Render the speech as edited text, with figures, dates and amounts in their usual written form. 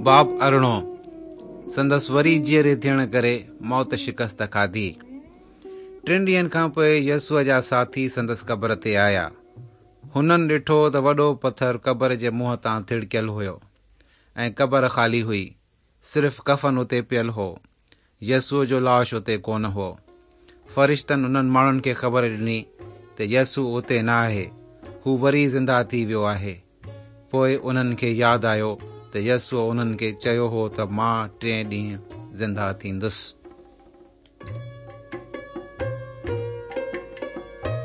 باب ارڙهون، سندس وري جيئري ٿيڻ ڪري موت شڪست کاڌي. ٽن ڏينهن کان پوء يسوع جا ساٿي سندس قبر تي آيا. هنن ڏٺو ته وڏو پٿر قبر جي منهن تان ٿڙڪيل هيو ۽ قبر خالي هئي. صرف ڪفن اتي پيل هو. يسوع جو لاش اتي ڪونه هو. فرشتن انهن ماڻهن کي خبر ڏني ته يسوع اتي نه آهي، هو وري زنده ٿي ويو آهي. پوء انهن کي ياد آيو ته يسوع انهن کي چيو هو ته مان ٽئين ڏينهن زنده ٿيندس.